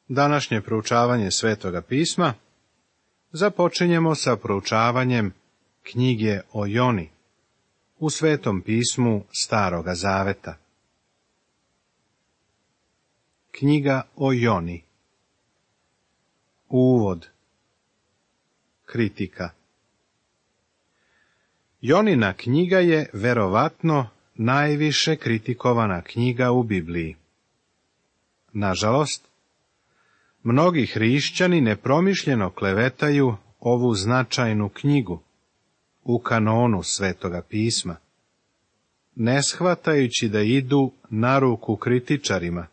Današnje proučavanje Svetoga pisma započinjemo sa proučavanjem knjige o Joni u Svetom pismu Staroga Zaveta. Knjiga o Joni. Uvod. Kritika. Jonina knjiga je verovatno najviše kritikovana knjiga u Bibliji. Nažalost, mnogi hrišćani nepromišljeno klevetaju ovu značajnu knjigu u kanonu Svetoga pisma, ne shvatajući da idu na ruku kritičarima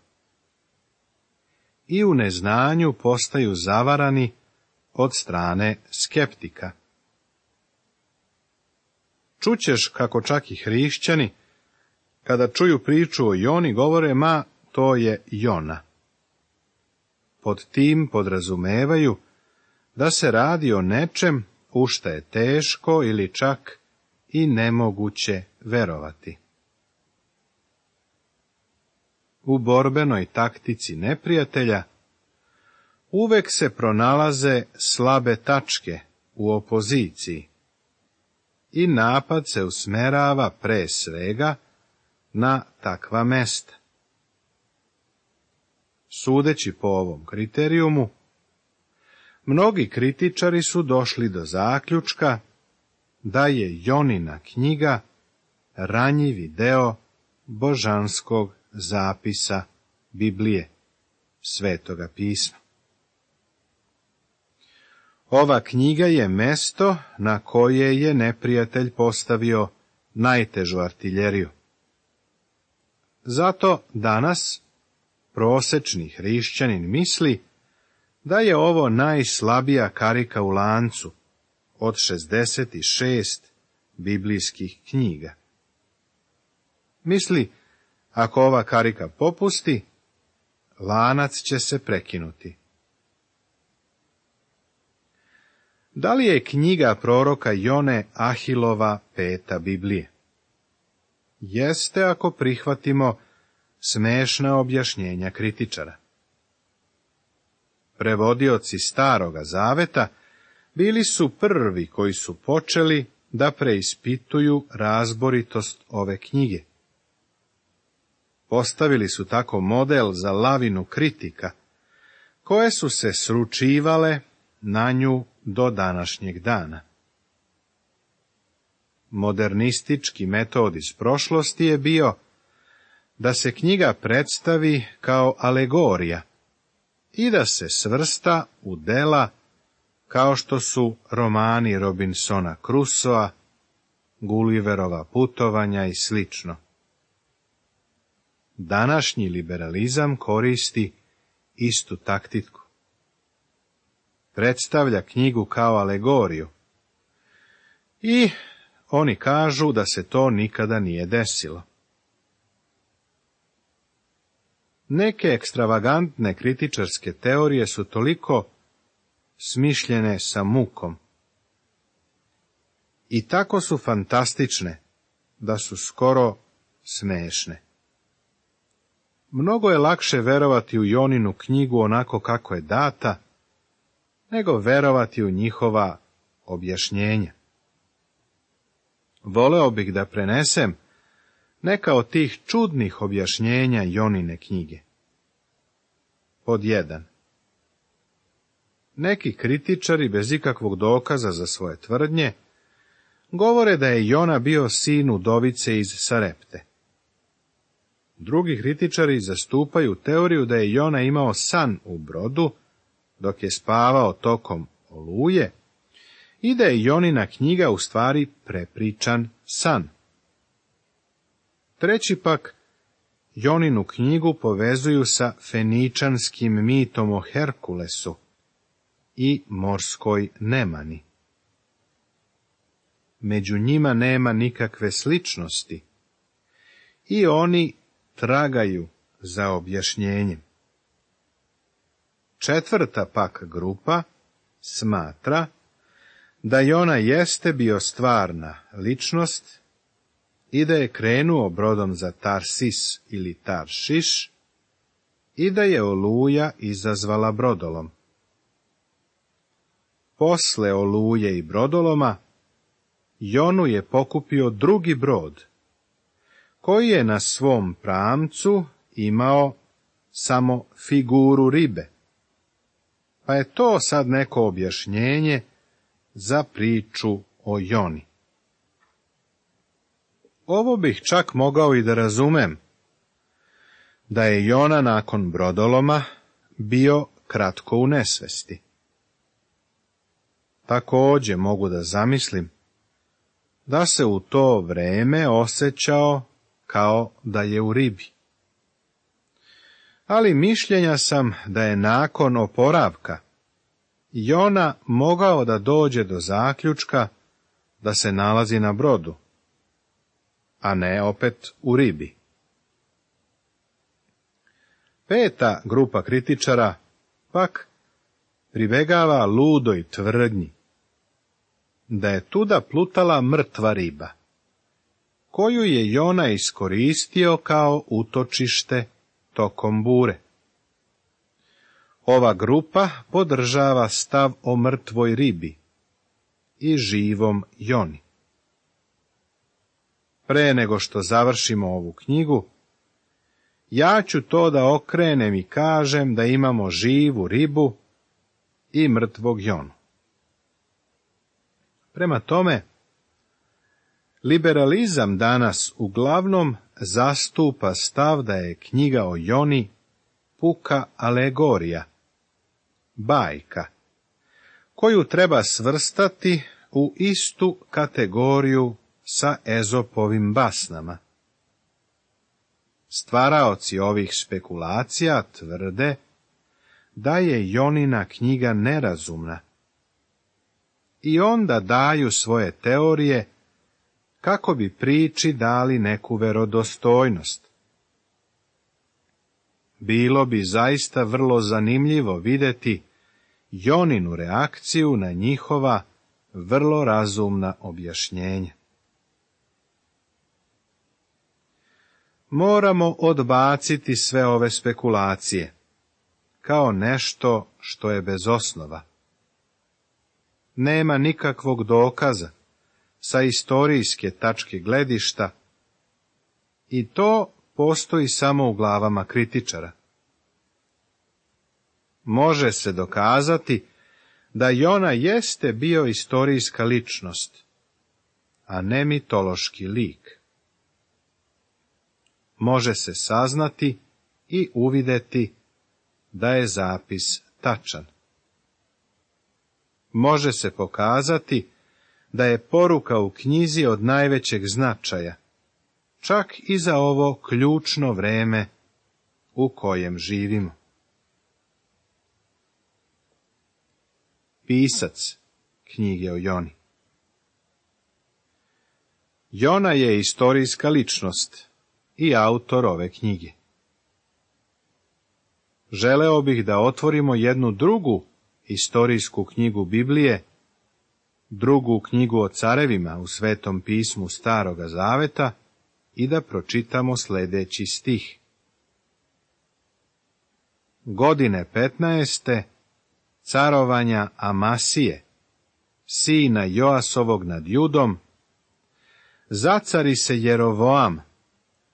i u neznanju postaju zavarani od strane skeptika. Čućeš kako čak i hrišćani, kada čuju priču o Joni, govore, ma, to je Jona. Pod tim podrazumevaju da se radi o nečem u šta je teško ili čak i nemoguće verovati. U borbenoj taktici neprijatelja uvek se pronalaze slabe tačke u opoziciji i napad se usmerava pre svega na takva mesta. Sudeći po ovom kriterijumu, mnogi kritičari su došli do zaključka da je Jonina knjiga ranjivi deo božanskog zapisa Biblije, Svetoga pisma. Ova knjiga je mesto na koje je neprijatelj postavio najtežu artiljeriju. Zato danas prosečni hrišćanin misli da je ovo najslabija karika u lancu od 66 biblijskih knjiga. Misli, ako ova karika popusti, lanac će se prekinuti. Da li je knjiga proroka Jone Ahilova peta Biblije? Jeste, ako prihvatimo smešna objašnjenja kritičara. Prevodioci Staroga Zaveta bili su prvi koji su počeli da preispituju razboritost ove knjige. Postavili su tako model za lavinu kritika, koje su se sručivale na nju do današnjeg dana. Modernistički metod iz prošlosti je bio da se knjiga predstavi kao alegorija i da se svrsta u dela kao što su romani Robinsona Crusoa, Gulliverova putovanja i slično. Današnji liberalizam koristi istu taktiku. Predstavlja knjigu kao alegoriju i oni kažu da se to nikada nije desilo. Neke ekstravagantne kritičarske teorije su toliko smišljene sa mukom i tako su fantastične da su skoro smešne. Mnogo je lakše verovati u Joninu knjigu onako kako je data, nego verovati u njihova objašnjenja. Voleo bih da prenesem neka od tih čudnih objašnjenja Jonine knjige. Pod 1. Neki kritičari bez ikakvog dokaza za svoje tvrdnje govore da je Jona bio sin udovice iz Sarepte. Drugi kritičari zastupaju teoriju da je Jona imao san u brodu dok je spavao tokom oluje i da je Jonina knjiga u stvari prepričan san. Treći pak Joninu knjigu povezuju sa feničanskim mitom o Herkulesu i morskoj nemani. Među njima nema nikakve sličnosti i oni tragaju za objašnjenjem. Četvrta pak grupa smatra da Jona jeste bio stvarna ličnost i da je krenuo brodom za Tarsis ili Taršiš, i da je oluja izazvala brodolom. Posle oluje i brodoloma, Jonu je pokupio drugi brod, koji je na svom pramcu imao samo figuru ribe. Pa je to sad neko objašnjenje za priču o Joni. Ovo bih čak mogao i da razumem, da je Jona nakon brodoloma bio kratko u nesvesti. Također mogu da zamislim da se u to vreme osjećao kao da je u ribi. Ali mišljenja sam da je nakon oporavka Jona mogao da dođe do zaključka da se nalazi na brodu, a ne opet u ribi. Peta grupa kritičara pak pribegava ludoj tvrdnji da je tuda plutala mrtva riba, koju je Jona iskoristio kao utočište tokom bure. Ova grupa podržava stav o mrtvoj ribi i živom Joni. Pre nego što završimo ovu knjigu, ja ću to da okrenem i kažem da imamo živu ribu i mrtvog Jonu. Prema tome, liberalizam danas uglavnom zastupa stav da je knjiga o Joni puka alegorija, bajka, koju treba svrstati u istu kategoriju sa Ezopovim basnama. Stvaraoci ovih spekulacija tvrde da je Jonina knjiga nerazumna i onda daju svoje teorije kako bi priči dali neku verodostojnost. Bilo bi zaista vrlo zanimljivo vidjeti Joninu reakciju na njihova vrlo razumna objašnjenja. Moramo odbaciti sve ove spekulacije kao nešto što je bez osnova. Nema nikakvog dokaza sa istorijske tačke gledišta i to postoji samo u glavama kritičara. Može se dokazati da Jona jeste bio istorijska ličnost, a ne mitološki lik. Može se saznati i uvideti da je zapis tačan. Može se pokazati da je poruka u knjizi od najvećeg značaja, čak i za ovo ključno vreme u kojem živimo. Pisac knjige o Joni. Jona je istorijska ličnost i autor ove knjige. Želeo bih da otvorimo jednu drugu istorijsku knjigu Biblije, drugu knjigu o carevima u Svetom pismu Staroga Zaveta i da pročitamo sljedeći stih. Godine 15. carovanja Amasije, sina Joasovog nad Judom, zacari se Jerovoam,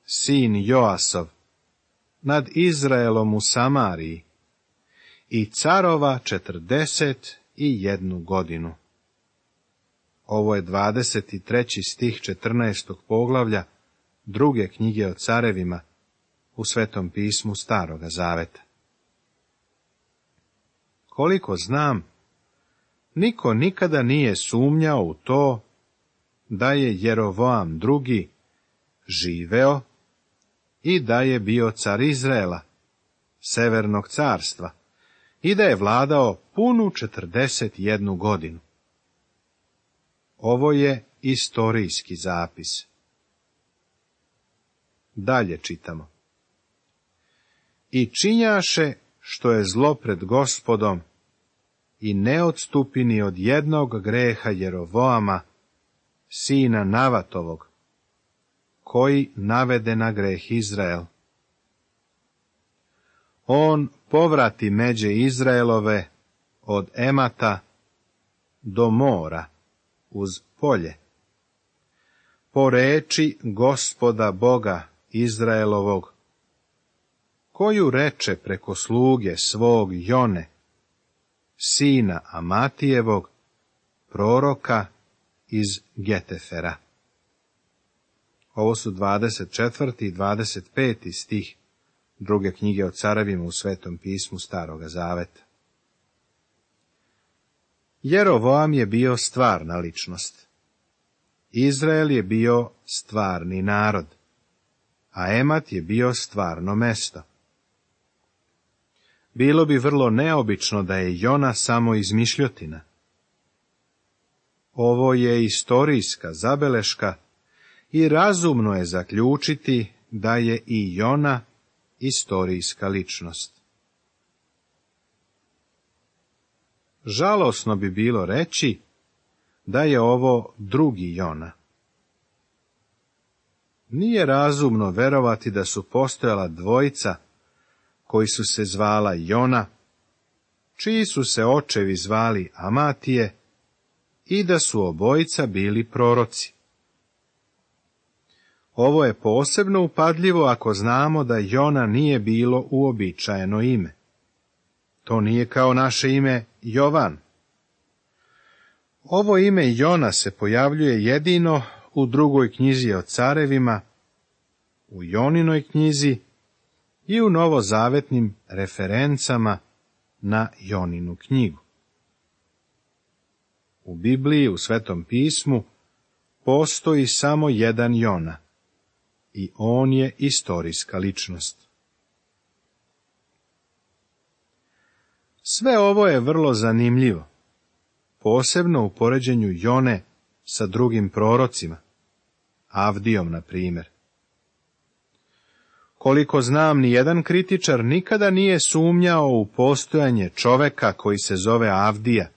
sin Joasov, nad Izraelom u Samariji i carova 41 godinu. Ovo je 23. stih 14. poglavlja druge knjige o carevima u Svetom pismu Staroga Zaveta. Koliko znam, niko nikada nije sumnjao u to da je Jerovoam II živeo i da je bio car Izraela, Severnog carstva, i da je vladao punu 41 godinu. Ovo je istorijski zapis. Dalje čitamo. I činjaše što je zlo pred Gospodom i ne odstupi ni od jednog greha Jerovoama, sina Navatovog, koji navede na greh Izrael. on povrati međe Izraelove od Emata do mora uz polje, po reči Gospoda Boga Izraelovog, koju reče preko sluge svog Jone, sina Amatijevog, proroka iz Getefera. Ovo su 24. i 25. stih druge knjige o carevima u Svetom pismu Staroga zaveta. Jerovoam je bio stvarna ličnost. Izrael je bio stvarni narod, a Emat je bio stvarno mesto. Bilo bi vrlo neobično da je Jona samo izmišljotina. Ovo je istorijska zabeleška i razumno je zaključiti da je i Jona istorijska ličnost. Žalosno bi bilo reći da je ovo drugi Jona. Nije razumno verovati da su postojala dvojica koji su se zvala Jona, čiji su se očevi zvali Amatije i da su obojica bili proroci. Ovo je posebno upadljivo ako znamo da Jona nije bilo uobičajeno ime. To nije kao naše ime Jovan. Ovo ime Jona se pojavljuje jedino u drugoj knjizi o carevima, u Joninoj knjizi i u novozavetnim referencama na Joninu knjigu. U Bibliji, u Svetom pismu, postoji samo jedan Jona i on je istorijska ličnost. Sve ovo je vrlo zanimljivo, posebno u poređenju Jone sa drugim prorocima, Avdijom, na primjer. Koliko znam, ni jedan kritičar nikada nije sumnjao u postojanje čoveka koji se zove Avdija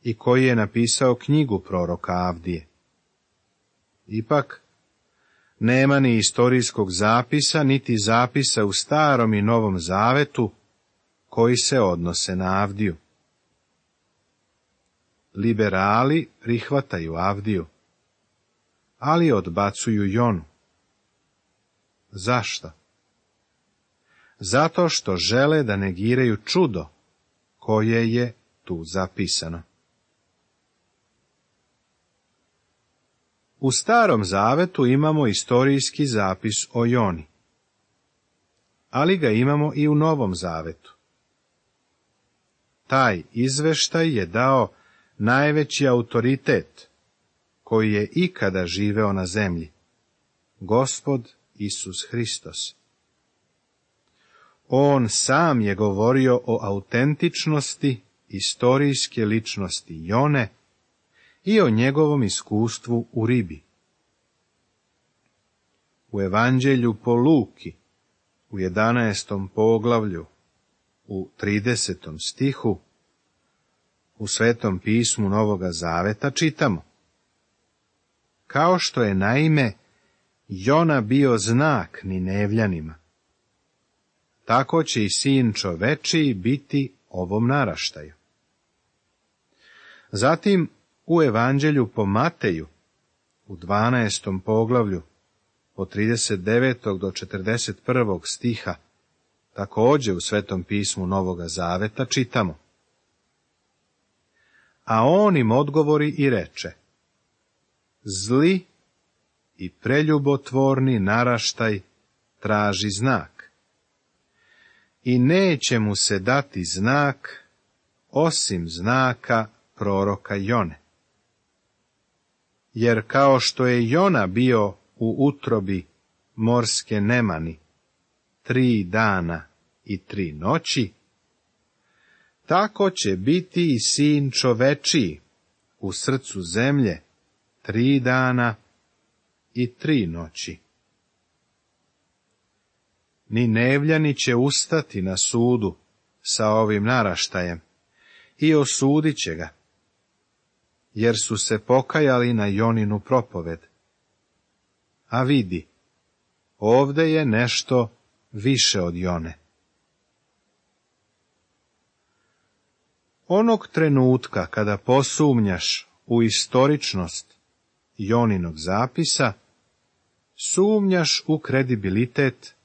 i koji je napisao knjigu proroka Avdije. Ipak, nema ni istorijskog zapisa, niti zapisa u Starom i Novom Zavetu koji se odnose na Avdiju. Liberali prihvataju Avdiju, ali odbacuju Jonu. Zašto? Zato što žele da negiraju čudo koje je tu zapisano. U Starom Zavetu imamo istorijski zapis o Joni, ali ga imamo i u Novom Zavetu. Taj izveštaj je dao najveći autoritet koji je ikada živeo na zemlji, Gospod Isus Hristos. On sam je govorio o autentičnosti istorijske ličnosti Jone i o njegovom iskustvu u ribi. U Evanđelju po Luki, u 11. poglavlju, u 30. stihu, u Svetom pismu Novoga Zaveta čitamo: kao što je naime Jona bio znak Ninevljanima, tako će i sin čovečiji biti ovom naraštaju. Zatim u Evanđelju po Mateju, u 12. poglavlju, od 39. do 41. stiha, također u Svetom pismu Novoga Zaveta čitamo: a on im odgovori i reče: zli i preljubotvorni naraštaj traži znak, i neće mu se dati znak osim znaka proroka Jone. Jer kao što je Jona bio u utrobi morske nemani 3 dana i 3 noći, tako će biti i sin čovečiji u srcu zemlje 3 dana i 3 noći. Ninevljani će ustati na sudu sa ovim naraštajem i osudit će ga, jer su se pokajali na Joninu propoved. A vidi, ovde je nešto više od Jone. Onog trenutka kada posumnjaš u istoričnost Joninog zapisa, sumnjaš u kredibilitet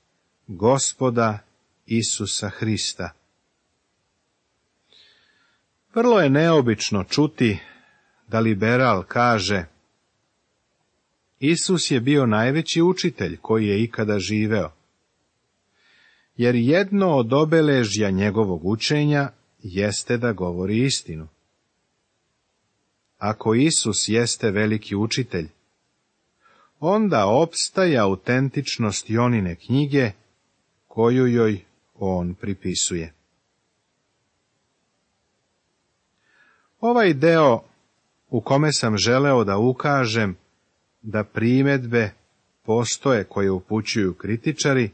Gospoda Isusa Hrista. Vrlo je neobično čuti da liberal kaže: Isus je bio najveći učitelj koji je ikada živeo, jer jedno od obeležja njegovog učenja jeste da govori istinu. Ako Isus jeste veliki učitelj, onda opstaje autentičnost Jonine knjige koju joj on pripisuje. Ovaj deo u kome sam želeo da ukažem da primedbe postoje koje upućuju kritičari,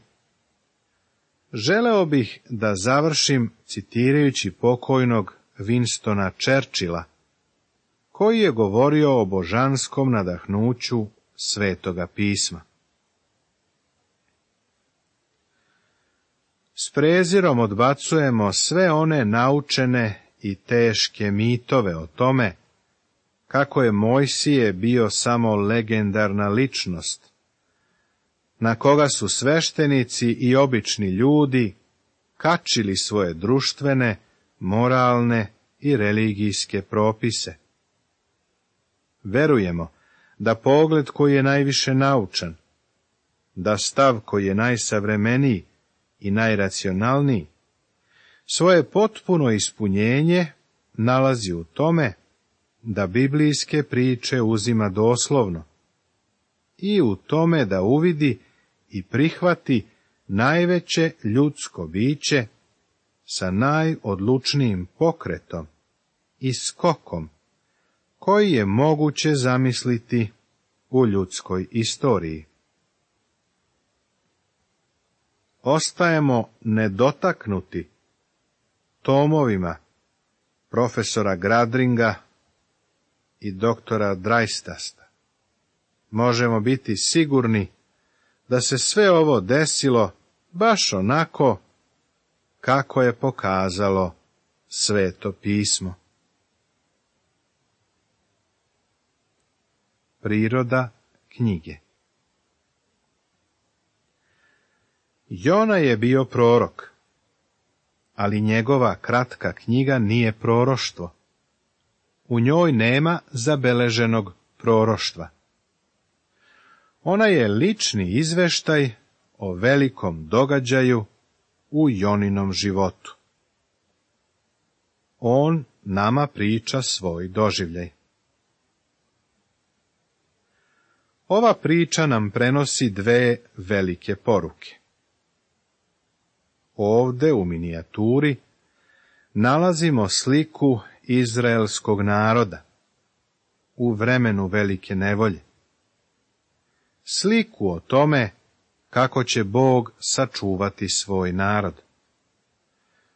želeo bih da završim citirajući pokojnog Winstona Churchilla, koji je govorio o božanskom nadahnuću Svetoga pisma. S prezirom odbacujemo sve one naučene i teške mitove o tome kako je Mojsije bio samo legendarna ličnost, na koga su sveštenici i obični ljudi kačili svoje društvene, moralne i religijske propise. Verujemo da pogled koji je najviše naučan, da stav koji je najsavremeniji i najracionalniji, svoje potpuno ispunjenje nalazi u tome da biblijske priče uzima doslovno i u tome da uvidi i prihvati najveće ljudsko biće sa najodlučnijim pokretom i skokom koji je moguće zamisliti u ljudskoj istoriji. Ostajemo nedotaknuti tomovima profesora Gradringa i doktora Drajstasta. Možemo biti sigurni da se sve ovo desilo baš onako kako je pokazalo Sveto pismo. Priroda knjige. Jona je bio prorok, ali njegova kratka knjiga nije proroštvo. U njoj nema zabeleženog proroštva. Ona je lični izveštaj o velikom događaju u Joninom životu. On nama priča svoj doživljaj. Ova priča nam prenosi dve velike poruke. Ovde u minijaturi nalazimo sliku izraelskog naroda u vremenu velike nevolje. Sliku o tome kako će Bog sačuvati svoj narod.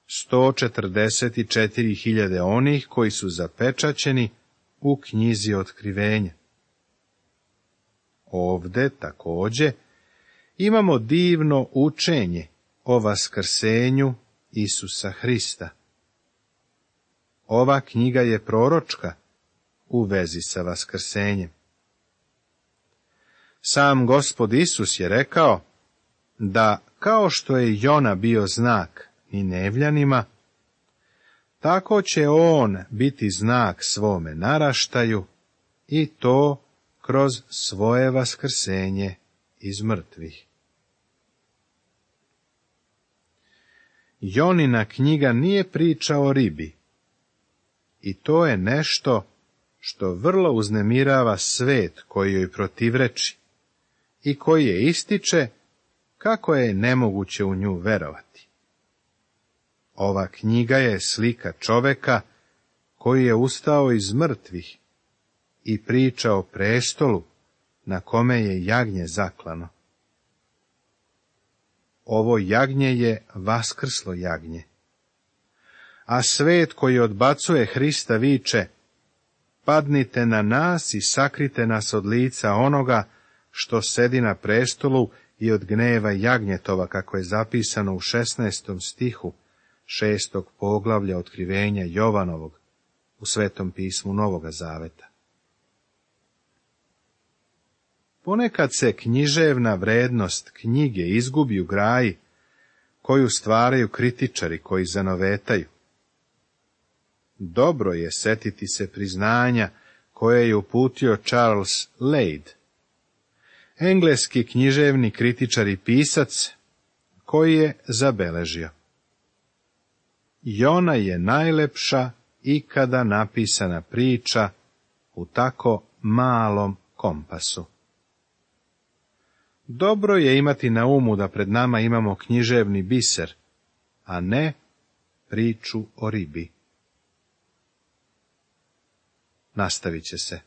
144.000 onih koji su zapečaćeni u knjizi Otkrivenja. Ovde takođe imamo divno učenje o vaskrsenju Isusa Hrista. Ova knjiga je proročka u vezi sa vaskrsenjem. Sam Gospod Isus je rekao da kao što je Jona bio znak Ninevljanima, tako će on biti znak svome naraštaju i to kroz svoje vaskrsenje iz mrtvih. Jonina knjiga nije priča o ribi, i to je nešto što vrlo uznemirava svet koji joj protivreči i koji je ističe kako je nemoguće u nju verovati. Ova knjiga je slika čoveka koji je ustao iz mrtvih i priča o prestolu na kome je jagnje zaklano. Ovo jagnje je vaskrslo jagnje. A svet koji odbacuje Hrista viče: padnite na nas i sakrite nas od lica onoga što sedi na prestolu i od gneva jagnjetova, kako je zapisano u 16. stihu 6. poglavlja otkrivenja Jovanovog u Svetom pismu Novoga Zaveta. Ponekad se književna vrednost knjige izgubi u graji koju stvaraju kritičari koji zanovetaju. Dobro je setiti se priznanja koje je uputio Charles Lade, engleski književni kritičar i pisac, koji je zabeležio: Jona je najlepša ikada napisana priča u tako malom kompasu. Dobro je imati na umu da pred nama imamo književni biser, a ne priču o ribi. Nastavit će se.